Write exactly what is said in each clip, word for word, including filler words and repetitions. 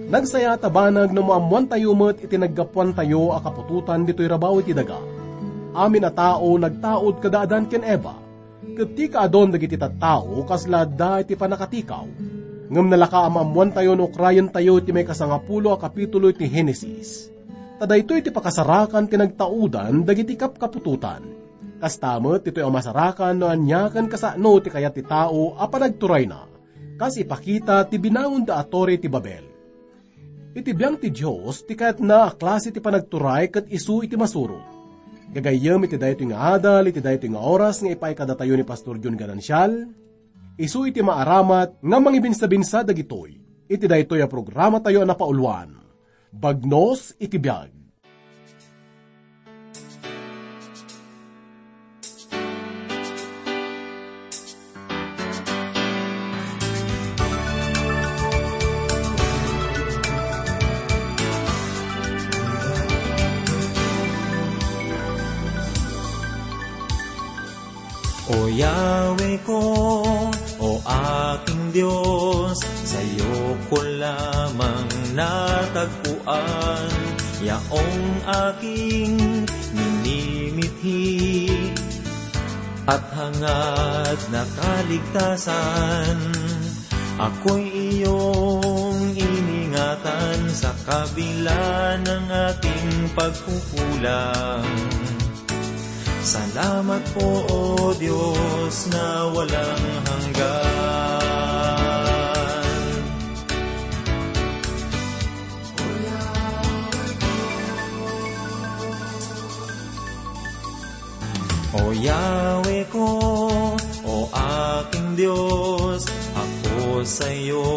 Nagsaya ta banag no maammoantayo met iti naggapuantayo a kaputotan ditoy rabaw iti daga. Amin a tao nagtaud kada Adan ken Eva, ket ti kaadun dagiti tattao kasla adda iti pannakatikaw. Ngem nalaka a maammoantayo no ukrayentayo iti maikasangapulo a kapitulo iti Genesis. Ta daytoy ti pakasarakan ti nagtaudan dagiti kapkaputotan. Kasta met ditoy a masarakan no ania ken kasano ti kayat ti tao a panagturayna, kas ipakita ti binangonda a Torre ti Babel. Iti biang ti Dios ti kayatna a klase ti panagturay ket isu iti masurot. Gagayyem iti daytoy nga adal, iti daytoy nga oras nga ipaay kadatayo ni Pastor John Ganancial, isu iti maaramat nga mangibinsabinsa dagitoy iti daytoy a programatayo a napauluan, Bagnos iti Biag. O Yahweh ko, o aking Dios, sayo ko lamang natagpuan, yaong aking minimithi at hangad na kaligtasan. Ako'y iyong iningatan sa kabila ng aking pagkukulang. Salamat po, O Diyos, na walang hanggan. O Yahweh ko, o aking Diyos, ako sa'yo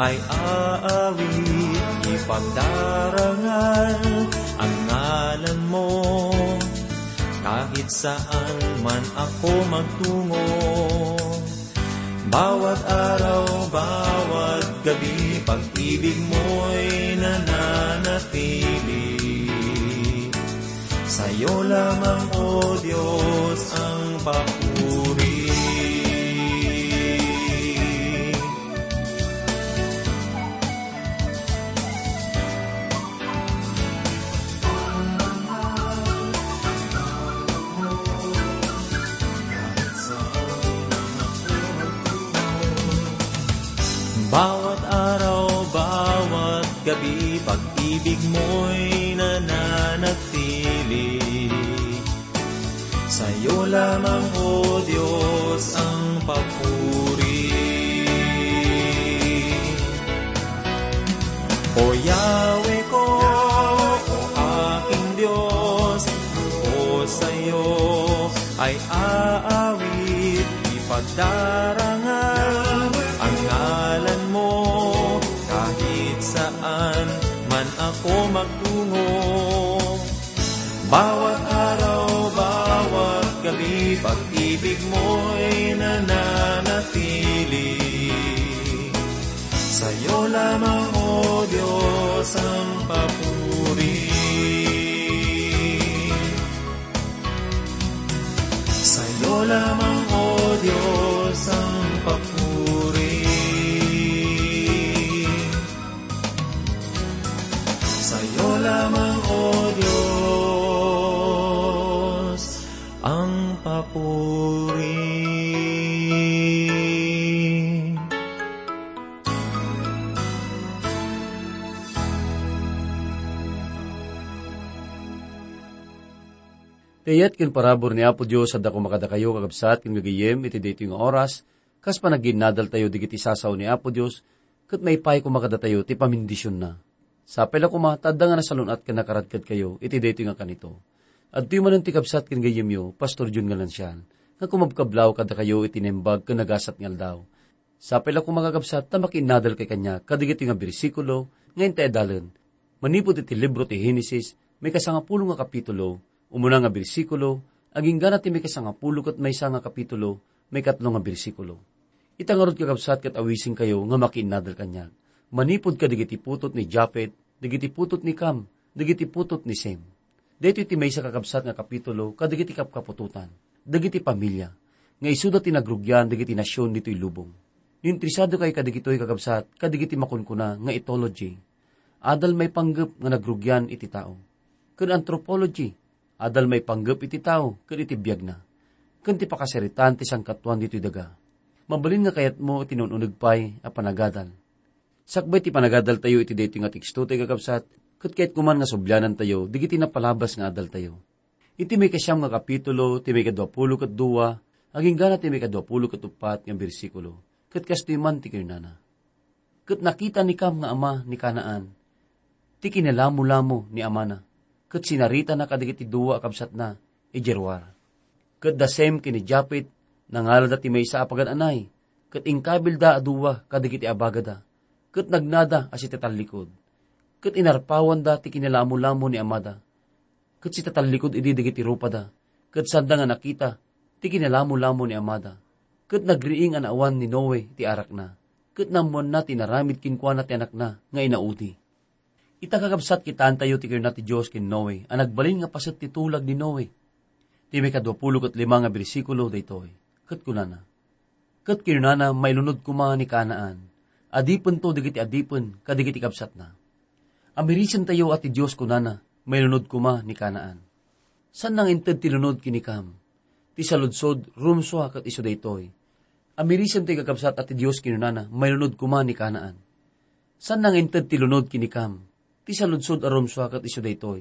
ay aawit, ipagdarangal ang ngalan mo. Kahit saan man ako magtungo, bawat araw, bawat gabi, pag-ibig mo'y nananatili. Sa'yo lamang, O Diyos, ang papuri. Bawat araw, bawat gabi, pag-ibig mo'y nananatili. Sa'yo lamang, O Diyos, ang papuri. O Yahweh ko, o aking Diyos, ako sa'yo ay aawit, ipagdarangal ang ngalan mo, kahit saan man ako magtungo. Bawat araw, bawat gabi, pag-ibig mo'y nananatili. Sa'yo lamang, O Diyos, ang papuri. Sa'yo lamang, O Diyos, ang papuri. Sa'yo lamang, O Diyos, ang papuri. Ti ayat ken parabur ni Apo Dios adda koma kadakayo, kakabsat ken gagayyem, iti daytoy nga oras, kas panagiinnadaltayo dagiti sasao ni Apo Dios, ket maipaay koma kadatayo ti pamendisionna. Sapay la koma ta adda nga nasalun-at ken nakaradkadkayo iti daytoy nga kanito. Adtoy manen ti kabsat ken gayyemyo, Pastor Jun Galancian, nga kumabkablaw kadakayo iti naimbag ken nagasat nga aldaw. Sapay la koma, kakabsat, ta makiinnadalkay kaniak kadagitoy nga bersikulo nga intay adalen. Manipud iti libro ti Genesis, maikasangapulo nga kapitulo, umuna nga bersikulo, agingga na ti maikasangapulo ket maysa nga kapitulo, maikatlo nga bersikulo. Ita ngarud, kakabsat, ket awisenkayo nga makiinnadal kaniak. Manipud kadagiti putot ni Jafet, dagiti putot ni Cam, dagiti putot ni Sem. Daytoy ti maysa, kakabsat, nga kapitulo kadagiti kapkaputotan, dagiti familia, nga isuda ti nagrugian dagiti nasion ditoy lubong. No interesado kayo kadagitoy, kakabsat, kadagiti makunkuna nga ethology, adal maipanggep nga nagrugian iti tao. Ken anthropology, adal maipanggep iti tao ken iti biagna. Ken ti pakasaritaan ti sangkatuan ditoy daga. Mabalin nga kayatmo iti naun-uneg pay a panagadal. Sakbay ti panagadaltayo iti daytoy nga teksto, ti kakabsat, ket kayat koman nga sublianantayo dagiti napalabas nga adaltayo. Iti maikasiam nga kapitulo, ti maikadua pulo ket dua, agingga na ti maikadua pulo ket uppat nga bersikulo, ket kastoy man ti kinunana, "Ket nakita ni Cam nga ama ni Canaan ti kinalamolamo ni amana, ket sinaritana kadagiti dua a kabsatna idiay ruar. Ket da Sem ken ni Japet, nangalada ti maysa a pagan-anay, ket inkabilda a dua kadagiti abagada, ket nagnada a sitatallikod. Ket inarpawanda ti kinalamolamo ni amada, ket sitatallikod idi dagiti rupada, ket sanda nga nakita ti kinalamolamo ni amada. Ket nagriing a naawan ni Noe ti arakna, ket naammoanna ti inaramid kenkuana ti anakna nga inaudi." Ita, kakabsat, kitaentayo ti kinuna ti Dios ken Noe a nagbalin nga paset ti tulag ni Noe. Ti maikadua pulo ket lima nga bersikulo daytoy, ket kunana, "Ket kinunana, mailunod koma ni Canaan. Adipento dagiti adipen kadagiti kabsatna." Amirisentayo a ti Dios kunana, mailunod koma ni Canaan. Saanna nga inted ti lunod ken ni Cam. Ti saludsod, rumsua ket isu daytoy. Amirisentayo, kakabsat, a ti Dios kinunana, mailunod koma ni Canaan. Saanna nga inted ti lunod ken ni Cam. Ti saludsod a rumsua ket isu daytoy.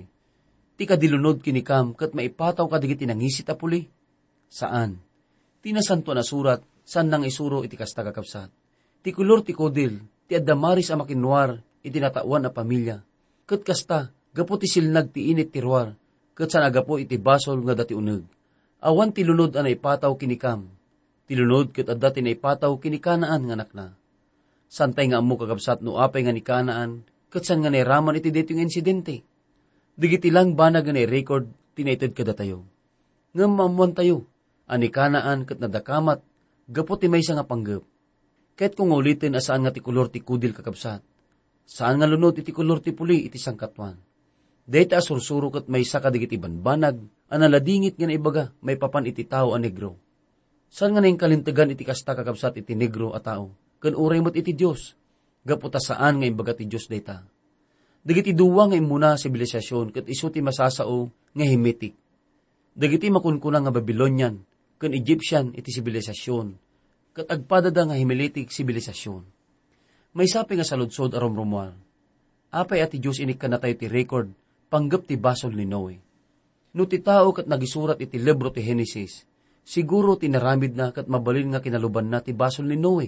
Ti kadilunod ken ni Cam ket maipataw kadagiti nangisit a puli? Saan. Ti Nasantoan a Surat, saanna nga isuro iti kasta, kakabsat. Ti kolor ti kudil, ti adda maris a makinruar iti nataoan a pamilia, ket kasta, gapu ti silnag ti init ti ruar, ket saan a gapu iti basol nga adda ti uneg. Awan ti lunod a naipataw ken ni Cam. Ti lunod ket adda ti naipataw ken ni Canaan nga anakna. Saantay nga ammo, kakabsat, no apay nga ni Canaan ket saan nga nairaman iti daytoy nga insidente. Dagiti lang banag nga nairecord ti naited kadatayo. Ngem maammoantayo a ni Canaan ket nadakamat gapu ti maysa nga panggep. Kayatko nga uliten a saan nga ti kolor ti kudil, kakabsat. Saan nga lunod iti kolor ti puli iti sangkatuan. Dayta a sursuro ket maysa kadagiti banbanag a naladingit nga naibaga maipapan iti tao a negro. Saan nga nainkalintegan iti kasta, kakabsat, iti negro a tao, ken uray met iti Dios, gapu ta saan nga imbaga ti Dios dayta. Dagiti dua nga immuna a sibilisasyon ket isu ti masasao nga Hemitic. Dagiti makunkuna nga Babylonian ken Egyptian iti sibilisasyon, ket agpadada nga Hemitic sibilisasyon. Maysa pay nga saludsod a rumrumuar. Apay a ti Dios inikkannatayo ti record panggep ti basol ni Noe? No ti tao ket nagisurat iti libro ti Genesis, siguro ti inaramidna ket mabalin nga kinalubanna ti basol ni Noe,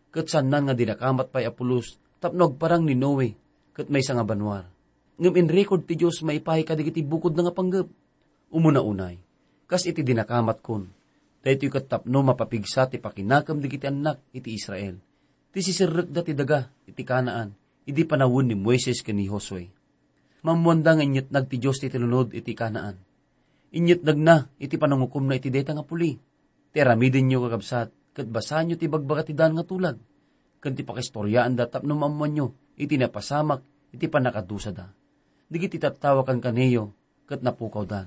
ket saannan nga dinakamat pay a pulos tapno agparang ni Noe ket maysa nga banua. Ngem inrecord ti Dios maipaay kadagiti bukodna nga panggep. Umuna unay, kas iti dinakamatkon, daytoy ket tapno mapapigsa ti pakinakem dagiti annak iti Israel, ti siserrekda ti daga iti Canaan idi panawen ni Moises ken ni Josue. Maammoanda nga inyetnag ti Dios ti tinulod iti Canaan. Inyetnagna iti panangukomna iti dayta nga puli. Ti aramidenyo, kakabsat, ket basaenyo ti ibagbaga ti daan nga tulag, ken ti pakistoriaanda tapno maammoanyo iti napasamak iti pannakadusada. Dagiti tattao a kankanayo ket napukawdan.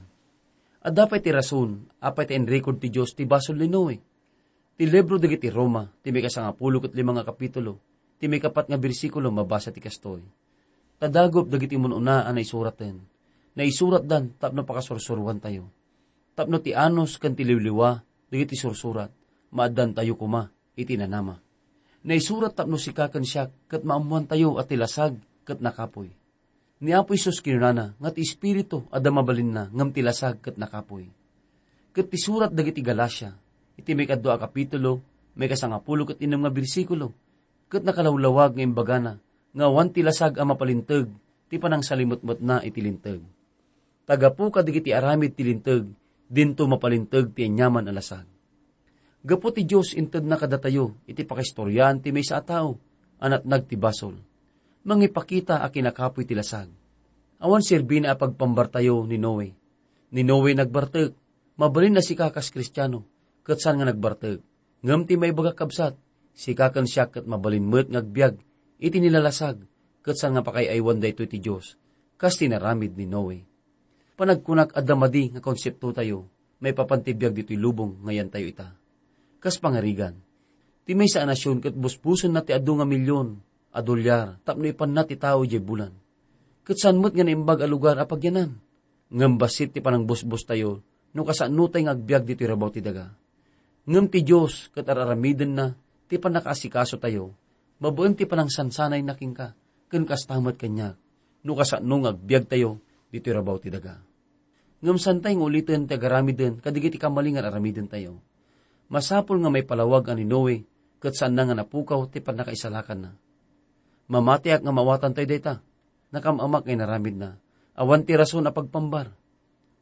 Adda pay ti rason apay ta inrecord ti Dios ti basol ni Noe. Ti libro dagiti Roma, ti maikasangapulo ket lima nga kapitulo, ti maikapat nga bersikulo, mabasa ti kastoy: "Tadagup dagiti mun-una a naisuraten. Naisuratdan tapno pakasursuroantayo. Tapno ti anus ken ti liwliwa dagiti sursurat, maaddantayo koma iti nanama." Naisurat tapno sika ken siak ket maammoantayo a ti lasag ket nakapuy. Ni Apo Jesus kinunana nga ti Espiritu adda mabalinna ngem ti lasag ket nakapuy. Ket ti surat dagiti Galacia, iti maikadua a kapitulo, maikasangapulo ket innem nga bersikulo, ket nakalawlawag nga imbagana nga awan ti lasag a mapalinteg ti panangsalimetmetna iti Linteg. Ta gapu kadagiti aramid ti Linteg, dinto mapalinteg ti aniaman a lasag. Gapu ti Dios, intedna kadatayo iti pakaistoriaan ti maysa a tao a natnag ti basol. Mangipakita a kinakapuy ti lasag. Awan serbina a pagpambartayo ni Noe. Ni Noe nagbartek. Mabalin a sika kas Kristiano ket saan nga nagbartek. Ngem ti maibagak, kabsat, sika ken siak ket mabalin met nga agbiag iti nilalasag ket saan nga pakaay-aywan daytoy ti Dios, kas ti inaramid ni Noe. Panagkunak, adda madi nga konseptotayo maipapan ti biag ditoy lubong nga yantayo ita. Kas pangarigan, Ti maysa a nasion ket busbusenna ti adu nga milion a dolyar tapno ipanna ti tao idiay bulan. Ket saan met nga naimbag a lugar a pagyanan. Ngem bassit ti panangbusbostayo no kasanotayo nga agbiag ditoy rabaw ti daga. Ngem ti Dios ket ar-aramidenna ti pannakaasikasotayo, babaen ti panangsansanayna kenka, ken kasta met kaniak, no kasano nga agbiagtayo ditoy rabaw ti daga. Ngem saantay nga uliten ti agaramiden kadagiti kamali nga ar-aramidentayo. Masapul nga maipalawag a ni Noe ket saanna nga napukaw ti pannakaisalakanna. Mamatiak nga maawatantayo dayta. Nakam-amak nga inaramidna. Awan ti rason a pagpambar.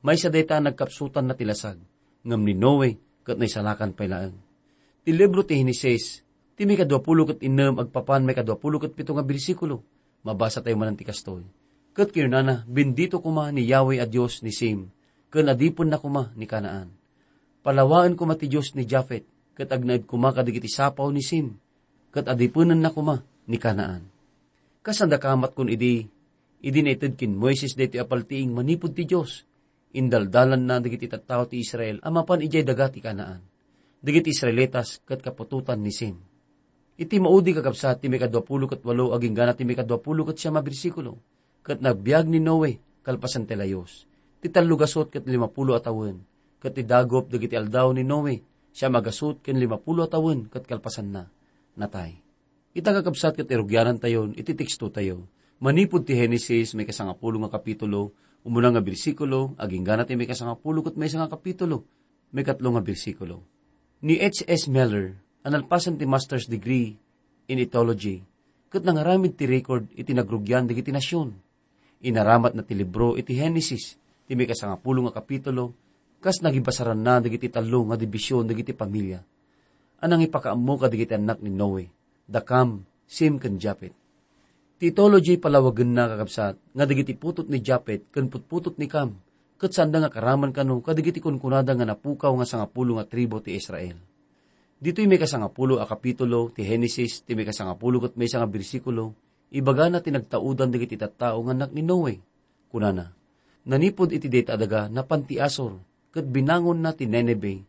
Maysa dayta a nagkapsutanna ti lasag, ngem ni Noe ket naisalakan pay laeng. Ti libro ti Henesis, ti maikadua pulo ket innem agpapan maikadua pulo ket pito nga bersikulo. Mabasa tayo manen ti kastoy. Ket kinunana, "Bendito koma ni Yahweh a Dios ni Sem, ken adipenna koma ni Canaan. Palawaen koma ti Dios ni Jafet, ket agnaed koma kadagiti sapaw ni Sem, ket adipenenna koma ni Canaan." Kas adda kamatkon idi, idi naited ken Moises daytoy a paltiing manipud ti Dios, indaldalanna dagiti tattao ti Israel a mapan idiay daga ti Canaan. Dagiti Israelitas ket kaputotan ni Sem. Iti maudi, kakabsat, ti maikadua pulo ket walo agingga ti maikadua pulo ket siam a bersikulo, ket nagbiag ni Noe kalpasan ti layus, ti tallo gasut ket lima pulo a tawen, ket ti dagup dagiti aldaw ni Noe siam a gasut ken lima pulo a tawen ket kalpasanna, natay. Ita, kakabsat, ket irugianantayon iti tekstotayo. Manipud ti Henesis, maikasangapulo nga kapitulo, umuna nga bersikulo, agingga ti maikasangapulo ket maysa nga kapitulo, maikatlo nga bersikulo. Ni H S Miller, a nalpasen ti master's degree in ethology, ket nangaramid ti record iti nagrugian dagiti nasion. Inaramatna ti libro iti Henesis, ti maikasangapulo nga kapitulo, kas nagibasaranna dagiti tallo nga division dagiti familia a nangipakaammo kadagiti annak ni Noe, da Kam, Sem, ken Jafet. Ti ethology palawagenna, kakabsat, nga dagiti putot ni Jafet ken putputot ni Kam, ket saanda nga karaman kano kadagiti kunkunada nga napukaw nga sangapulo nga tribu ti Israel. Ditoy maikasangapulo a kapitulo ti Henesis, ti maikasangapulo ket maysa nga bersikulo, ibagana ti nagtaudan dagiti tattao nga annak ni Noe. Kunana, "Nanipud iti dayta a daga, napan ti Asor, ket binangonna ti Nineve,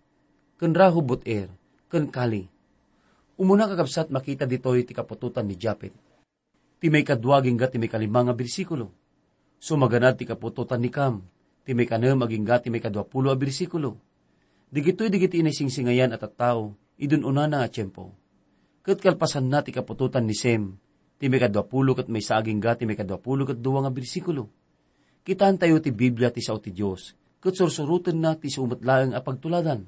ken Rehoboth-Ir, ken Calah." Umuna, kakabsat, makita ditoy ti kaputotan ni Jafet. Ti maikadua agingga ti maikalima nga bersikulo. Sumaganad ti kaputotan ni Kam, ti maikanem agingga ti maikadua pulo a bersikulo. Dagitoy dagiti naisingsingayan a tattao, idun-unana a tiempo. Ket kalpasanna ti kaputotan ni Sem, ti maikadua pulo ket maysa agingga ti maikadua pulo ket dua nga bersikulo. Kitaentayo ti Biblia ti sao ti Dios, ket sursurotenna ti isu met laeng a pagtuladan.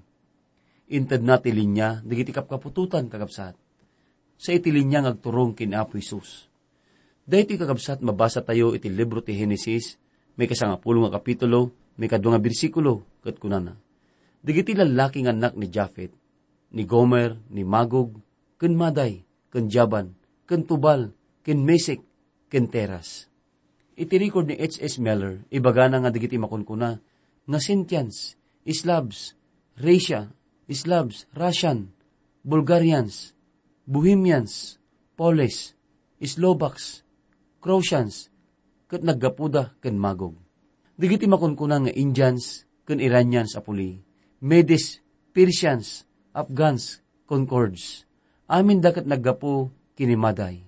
Intedna ti linia dagiti kapkaputotan, kakabsat. Sa iti linia nga agturong ken Apo Jesus. Daytoy, kakabsat, mabasatayo iti libro ti Henesis, maikasangapulo nga kapitulo, maikadua nga bersikulo, ket kunana, "Dagiti lallaki nga annak ni Jafet, ni Gomer, ni Magog, ken Madai, ken Javan, ken Tubal, ken Mesek, ken Teras." Iti record ni H S Miller, ibagana nga dagiti makunkuna nga Scythians, Slavs, Raetia, Slavs, Russian, Bulgarians, Bohemians, Poles, Slovaks, Croatians, ket naggapuda ken Magog. Dagiti makunkuna nga Indians ken Iranians a puli, Medes, Persians, Afghans, Concords, aminda ket naggapu ken ni Madai.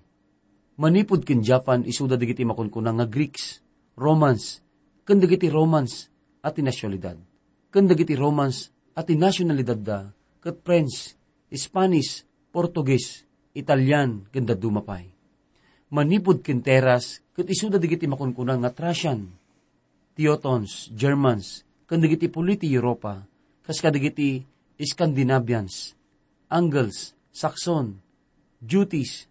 Manipud ken Japan, isuda dagiti makunkuna nga Greeks, Romans, ken dagiti Romans a ti nasyonalidad, ken dagiti Romans a ti nasyonalidadda ket French, Spanish, Portuguese, Italian, ken dadduma pay. Manipud ken Teras, ket isuda dagiti makunkuna nga Thracian, Teutons, Germans, ken dagiti puli ti Europa, kas kadagiti Scandinavians, Angles, Saxon, Jutis,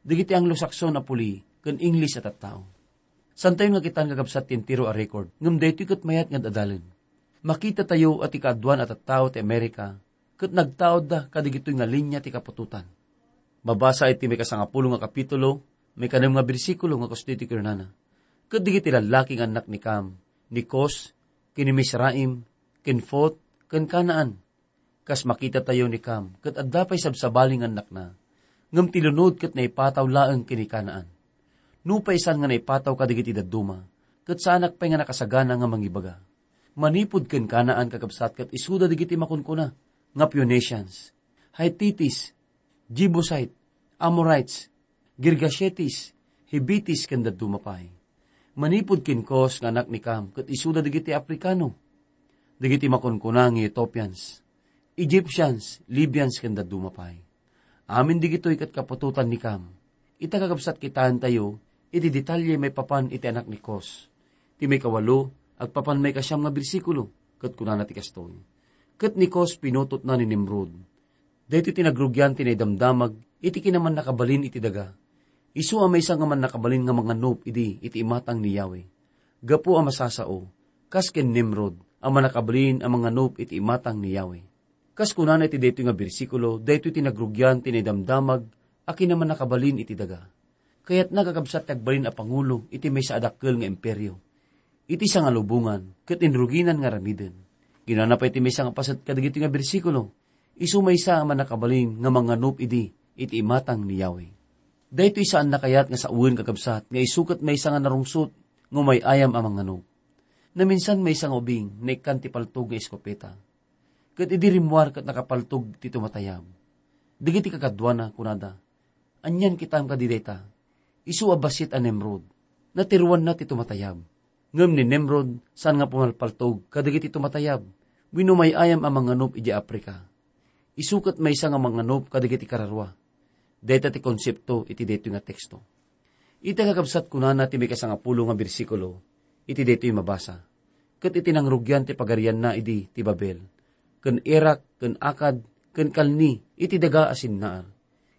dagiti Anglo-Saxon a puli, ken English a tattao. Santayon nga kitan, kakabsat, ti entero a record, ngem daytoy ket mayat nga ad-adalen. Makitatayo a ti kaaduan a tattao ti Amerika ket nagtaudda kadagitoy nga linia ti kaputotan. Mabasa iti maikasangapulo nga kapitulo, maikanem nga bersikulo nga kasta iti kunana, "Ket dagiti lallaki nga annak ni Kam, ni Cus, ken ni Misraim, ken Put, ken Canaan." Kas makitatayo ni Kam, ket adda pay sabsabali nga annakna, ngem ti lunod ket naipataw laeng ken ni Canaan. Nupay saan nga naipataw kadagiti dadduma, ket saanak pay nga nakasagana nga mangibaga. Manipud ken Canaan, kakabsat, ket isuda dagiti makunkuna nga Phoenicians, Hittites, Jebusite, Amorites, Girgashetis, Hivites, ken dadduma pay. Manipud ken Cus nga anak ni Cam, ket isuda dagiti Afrikano. Dagiti makunkuna nga Ethiopians, Egyptians, Libyans, ken dadduma pay. Amin dagitoy ket kaputotan ni Cam. Ita, kakabsat, kitaentayo iti detalye maipapan iti anak ni Cus. Ti maikawalo, agpapan maikasiam nga bersikulo, ket kunana ti kastoy, "Ket ni Cus pinutotna ni Nimrod. Daytoy ti nagrugian ti naidamdamag iti kinamannakabalin iti daga. Isu a maysa nga mannakabalin nga manganup idi iti imatang ni Yahweh. Gapu a masasao, kas ken Nimrod a mannakabalin a manganup iti imatang ni Yahweh." Kas kunana iti daytoy nga bersikulo, daytoy ti nagrugian ti naidamdamag a kinamannakabalin iti daga. Kayatna, kakabsat, ti agbalin a pangulo iti maysa a dakkel nga imperio. Iti sangalubongan, ket inruginan nga aramiden. Kinunana pay ti maysa nga paset kadagiti nga bersikulo, "Isu maysa a mannakabalin nga manganup idi iti imatang ni Yahweh." Daytoy saanna kayat nga sawen, kakabsat, nga isu ket maysa nga narungsot nga umay-ayam a manganup. Naminsan maysa nga ubing, naikkan ti paltog nga eskopeta. Ket idi rimmuar ket nakapaltog ti tumatayab. Dagiti kakaduana, kunada, "Anian kitam kadi dayta? Isu a bassit a Nimrod. Natiruanna ti tumatayab." Ngem ni Nimrod, saan nga pumalpaltog kadagiti tumatayab wenno umay-ayam a manganup idiay Africa. Isu ket maysa nga manganup kadagiti kararua. Dayta ti konsepto iti daytoy nga teksto. Ita, kakabsat, kunana ti maikasangapulo nga bersikulo iti daytoy mabasa, "Ket iti nangrugian ti pagarianna idi ti Babel, ken Erek, ken Akkad, ken Kalne iti daga a Sinnar.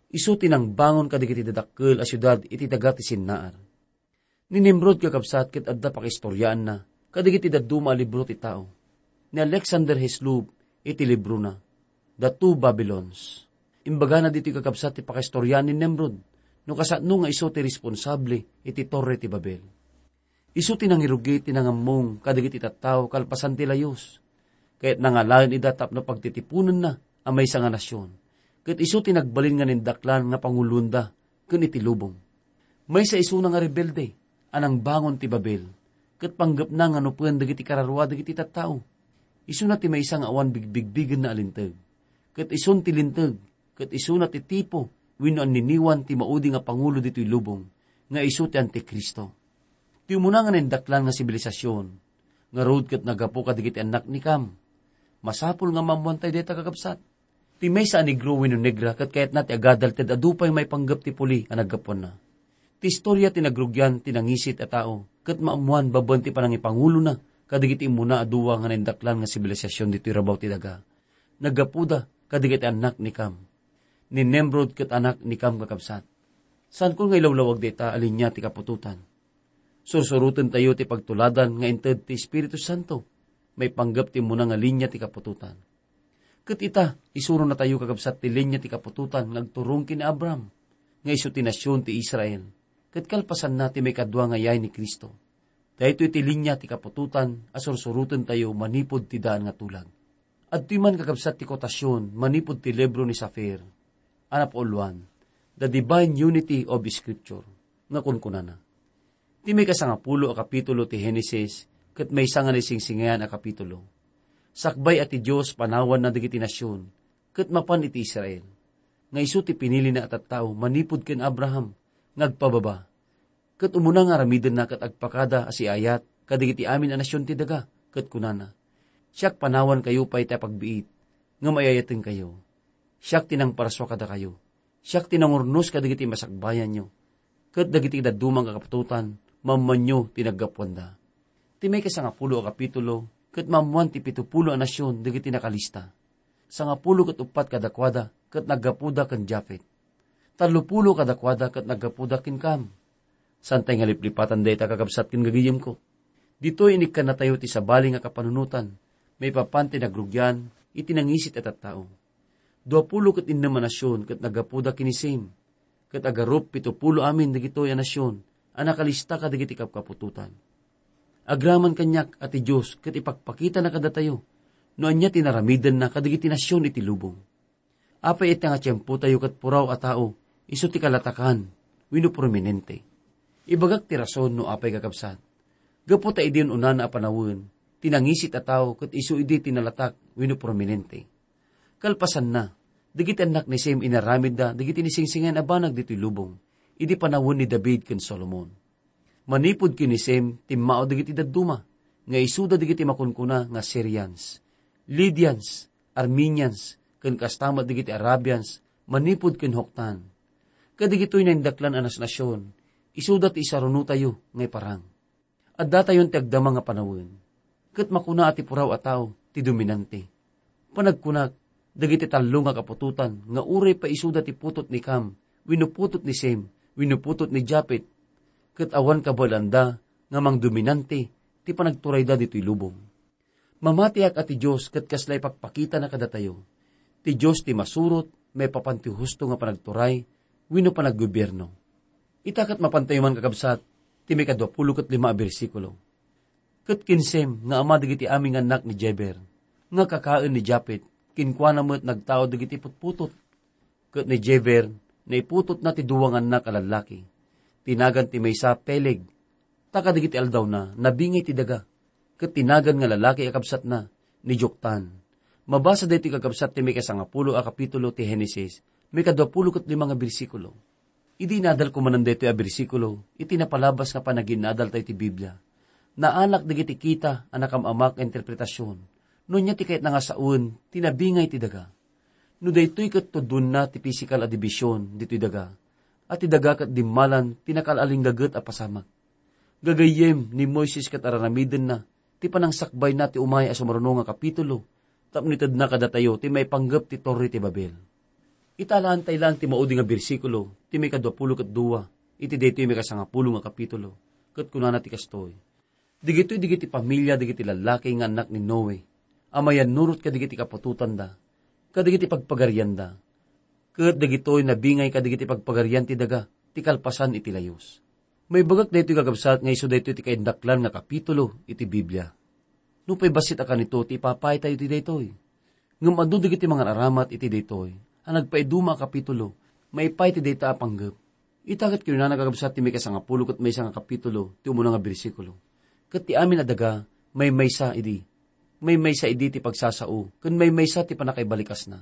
Isu ti nangbangon kadagiti dadakkel a siudad iti daga ti Sinnar." Ni Nimrod, kakabsat, ket adda pakaistoriaanna kadagiti dadduma a libro ti tao. Ni Alexander Hislop iti librona, The Two Babylons, imbagana ditoy, kakabsat, ti pakaistoriaan ni Nimrod no kasano nga isu ti responsable iti Torre ti Babel. Isu ti nangirugi ti nangammong kadagiti tattao kalpasan ti layus. Kayatna nga alaen ida tapno pagtitiponenna a maysa nga nasion. Ket isu ti nagbalin nga nindaklan nga panguloenda ken iti lubong. Maysa isuna nga rebelde a nangbangon ti Babel, ket panggepna nga nupen dagiti kararua dagiti tattao. Isuna ti maysa nga awan bigbigbigenna a linteg. Ket isun ti linteg, ket isuna ti tipo wenno anniniwan ti maudi nga pangulo ditoy lubong, nga isu ti Antikristo. Ti umuna nga nindaklan nga sibilisasyon, ngarud ket naggapu kadagiti annak ni Kam. Masapul nga maammoantay dayta, kakabsat. Ti maysa a negro wenno negra ket kayatna ti agadal ti adu pay maipanggep ti puli a naggapuanna. Ti istoria ti nagrugian ti nangisit a tao ket maammoan babaen ti panangipangulona kadagiti immuna a dua nga naindaklan nga sibilisasyon ditoy rabaw ti daga. Naggapuda kadagiti annak ni Kam, ni Nimrod ket anak ni Kam, kakabsat. Saanko nga ilawlawag dayta a linia ti kaputotan. Sursurotentayo ti pagtuladan nga inted ti Espiritu Santo maipanggep ti immuna nga linia ti kaputotan. Ket ita, isuronatayo, kakabsat, ti linia ti kaputotan nga agturong ken ni Abraham, nga isu ti nasion ti Israel, ket kalpasanna ti maikadua nga yaay ni Cristo. Daytoy ti linia ti kaputotan a sursurotentayo manipud ti daan nga tulag. Adtoy man, kakabsat, ti kotasion manipud ti libro ni Safir a napauluan, The Divine Unity of Scripture, nga kunkunana, Ti maikasangapulo a kapitulo ti Henesis ket maysa nga naisingsingayan a kapitulo. Sakbay a ti Dios panawanna dagiti nasion ket mapan iti Israel, nga isu ti pinilina a tattao manipud ken Abraham nga agpababa, ket umuna nga aramidenna ket agpakada a siayat kadagiti amin a nasion ti daga, ket kunana, "Siak panawankayo pay ti apagbiit, ngem ay-ayatengkayo. Siak ti nangparsua kadakayo. Siak ti nangurnos kadagiti masakbayanyo, ket dagiti dadduma nga kaputotan, maammoanyo ti naggapuanda." Ti maikasangapulo a kapitulo ket maammoan ti pitupulo a nasion dagiti nakalista. Sangapulo ket uppat kadakuada ket naggapuda ken Jafet. Tallopulo kadakuada ket naggapuda ken Kam. Saantay nga liplipatan dayta, kakabsat ken gagayemko. Ditoy inikkannatayo ti sabali nga kapanunotan maipapan ti nagrugian iti nangisit a tattao. Duapulo ket innem a nasion ket naggapuda ken ni Sem, ket agarup pitupulo amin dagitoy a nasion a nakalista kadagiti kapkaputotan. Agraman kaniak a ti Dios ket ipakpakitana kadatayo no ania ti naramidenna kadagiti nasion iti lubong. Apay ita nga tiempotayo ket puraw a tao isu ti kalatakan wenno prominente? Ibagak ti rason no apay, kakabsat. Gapu ta idi un-unana a panawen, ti nangisit a tao ket isu idi ti nalatak wenno prominente. Kalpasanna, Dagiti annak ni Sem inaramidda dagiti nisingsingin a banag ditoy lubong, idi panawen ni David ken Solomon. Manipud ken ni Sem, timmao dagiti dadduma, nga isuda dagiti makunkuna nga Syrians, Lydians, Armenians, ken kasta met dagiti Arabians, manipud ken Joktan. Kadagitoy naindaklan a nasnasion, isuda ti isarunotayo nga iparang. Addatayon ti agdama nga panawen. Ket makuna a ti puraw a tao ti dominante. Panagkunak, dagiti tallo nga kaputotan nga uray pay isuda ti putot ni Cam, wenno putot ni Sem, wenno putot ni Japet, ket awan kabaelanda nga mangdominante ti panagturayda ditoy lubong. Mamatiak a ti Dios ket kasla ipakpakitana kadatayo. Ti Dios ti masurot maipapan ti husto nga panagturay wenno panaggobiarno. Ita ket mapantayo man, kakabsat, ti maikadua pulo ket lima a bersikulo. Ket ken Sem nga ama dagiti amin nga annak ni Jeber, nga kakaen ni Japet, kenkuana met nagtaud dagiti putputot. Ket ni Jeber, naiputotna ti dua nga annak a lallaki. Tinagan ti maysa Peleg, ta kadagiti aldawna, nabingay ti daga. Ket tinagan nga lalaki a kabsatna ni Joktan. Mabasa daytoy, kakabsat, ti maikasangapulo a kapitulo ti Genesis, maikadua pulo ket lima nga bersikulo. Idi inadalko manen daytoy a bersikulo iti napalabas nga panaginadaltayo ti Biblia, naanak dagiti kita a nakam-amak nga interpretasion, no ania ti kayatna nga sawen ti nabingay ti daga. No daytoy ket tudonna ti pisikal a division ditoy daga, a ti daga ket dimmalan ti nakaal-alinggaget a pasamak. Gagayyem ni Moises ket ar-aramidenna ti panangsakbayna ti umay a sumaruno nga kapitulo tapno itedna kadatayo ti maipanggep ti Torre ti Babel. Italaantay laeng ti maudi nga bersikulo ti maikadua pulo ket dua iti daytoy maikasangapulo nga kapitulo, ket kunana ti kastoy: Dagitoy dagiti pamilia dagiti lallaki nga annak ni Noe a mayannurot kadagiti kaputotanda, kadagiti pagpagarianda, ket dagitoy nabingay kadagiti pagpagarian ti daga ti kalpasan iti layus. Maibagak daytoy, kakabsat, nga isu daytoy ti kaindaklan nga kapitulo iti Biblia. Nupay bassit a kanito ti ipapaytayo iti daytoy. Ngem adu dagiti mangar-aramat iti daytoy a nagpaiduma a kapitulo maipaay iti dayta a panggep. Ita ket kinunana, kakabsat, ti maikasangapulo ket maysa nga kapitulo ti umuna nga bersikulo: Ket ti amin a daga maymaysa idi. Maymaysa idi ti pagsasao ken maymaysa ti pannakaibalikasna.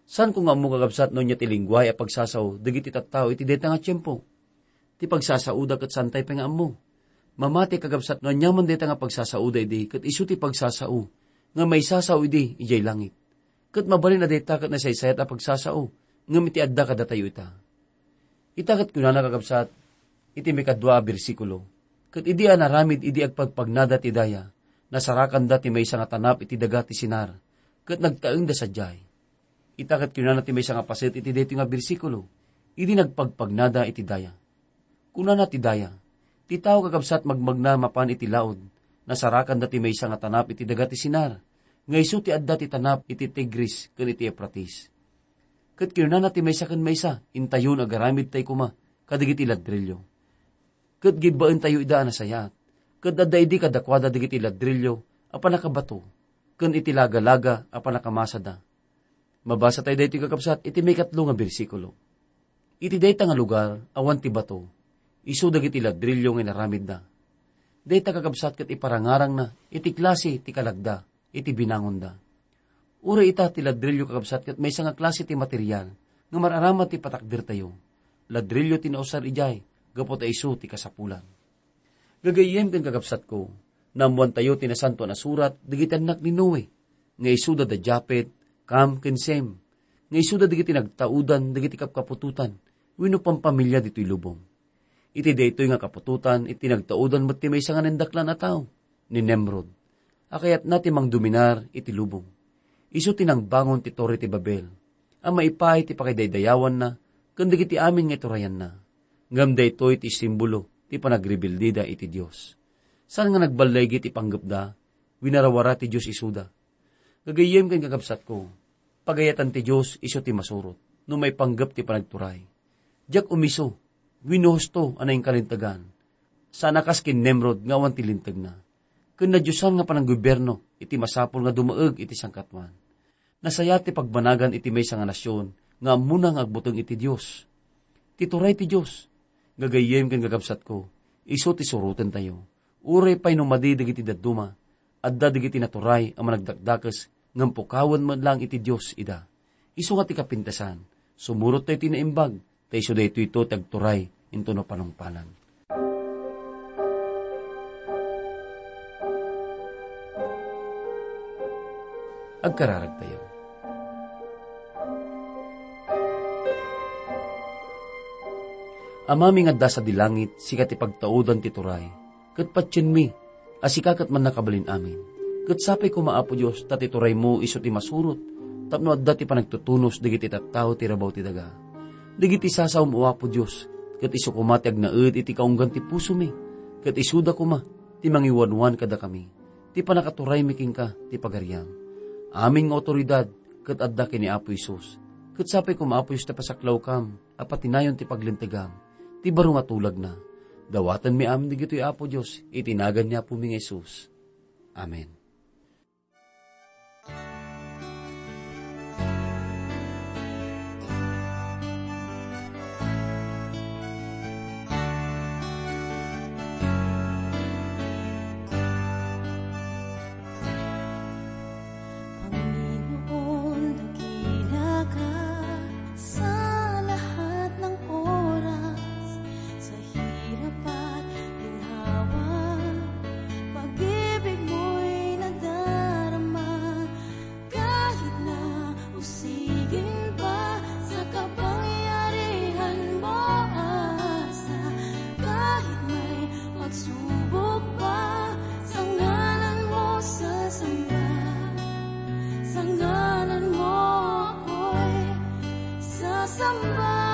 Saanko nga ammo, kakabsat, no ania ti linguahe a pagsasao dagiti tattao iti dayta nga tiempo. Ti pagsasaoda ket saantay pay nga ammo. Mamati, kakabsat, no aniaman dayta nga pagsasaoda idi ket isu ti pagsasao nga maisasao idi idiay langit. Ket mabalin a dayta ket nasaysayat a pagsasao ngem iti adda kadatayo ita. Ita ket kunana, kakabsat, iti maikadua a bersikulo: Ket idi a naramid idi agpagpagnada ti daya, nasarakanda ti maysa nga tanap iti daga ti Sinar, ket nagtaengda sadiay. Ita ket kinunana ti maysa nga paset iti daytoy nga bersikulo, idi nagpagpagnada iti daya. Kunana ti daya: Ti tao, kakabsat, magmagna mapan iti laud, nasarakanda ti maysa nga tanap iti daga ti Sinar, nga isu ti adda ti tanap iti Tigris ken iti Eufrates. Ket kinunana ti maysa ken maysa: Intayon, agaramidtay koma kadagiti ladrillo. Ket gibbaentayo ida a nasayaat, ket adda idi kadakuada dagiti ladrillo a pannakabato, ken iti lagalaga a pannakamasada. Mabasatayo daytoy, kakabsat, iti maikatlo nga bersikulo. Iti dayta nga lugar, awan ti bato, isu dagiti ladrillo nga inaramidda. Dayta, kakabsat, ket iparangarangna iti klase ti kalagda iti binangonda. Uray ita ti ladrillo, kakabsat, ket maysa nga klase ti material nga mar-aramid ti patakdertayo. Ladrillo ti nausar idiay gapu ta isu ti kasapulan. Gagayyem ken kakabsatko, naammoantayo ti Nasantoan a Surat dagiti annak ni Noe, nga isuda da Japet, Cam, ken Sem, nga isuda dagiti nagtaudan dagiti kapkaputotan wenno pampamilia ditoy lubong. Iti daytoy nga kaputotan, iti nagtaudan met ti maysa nga naindaklan a tao, ni Nimrod, a kayatna ti mangdominar iti lubong. Isu ti nangbangon ti Torre ti Babel, a maipaay ti pakidaydayawanna ken dagiti amin nga iturayanna. Ngem daytoy ti simbolo ti panagrebeldeda iti Dios. Saan nga nagballaigi ti panggepda, winarawara ti Dios isuda. Gagayyem ken kakabsatko, pagayatan ti Dios isu ti masurot no maipanggep ti panagturay. Diak umisu wenno husto a nainkalintegan. Saan a kas ken Nimrod nga awan ti lintegna, ken nadiosan nga pananggobierno iti masapul nga dumaeg iti sangkatwan. Nasayaat ti pagbanagan iti maysa nga nasion nga ammona nga agbuteng iti Dios. Ti turay ti Dios, gagayyem ken kakabsatko, isu ti surotentayo. Uray pay no madi dagiti dadduma, adda dagiti naturay a managdakdakes ngem pukawen met laeng iti Dios ida. Isu nga ti kapintasan, sumurot tayo ti naimbag, ta isu daytoy ti agturay intono panungpalan. Agkararag tayo. Amami nga adda sadi langit, sika ti pagtaudan ti turay, ket patienmi a sika ket mannakabalin amin. Ket sapay koma, Apo Dios, ta ti turaymo isu ti masurot tapno adda ti panagtutunos dagiti tattao ti rabaw ti daga. Dagiti sasaom, O Apo Dios, ket isu koma ti agnaed iti kaunggan ti pusomi, ket isuda koma ti mangiwanwan kadakami, ti pannakaturaymi kenka ti pagariam. Amin nga awtoridad ket adda ken ni Apo Jesus. Ket sapay koma, Apo Dios, ta pasaklawkam a patinayon ti paglintegam, ti baro nga tulagna. Dawatenmi amin dagitoy, Apo Dios, iti nagan ni Apomi nga Jesus. Amen. Panginoon, dakila ka sa lahat ng oras, sa hirap at ginhawa, pag-ibig mo'y nadarama, kahit na usigin pa sa kapangyarihan mo, asa, kahit may pagsubok pa, sa ngalan mo sasamba, sa ngalan mo ako'y sasamba.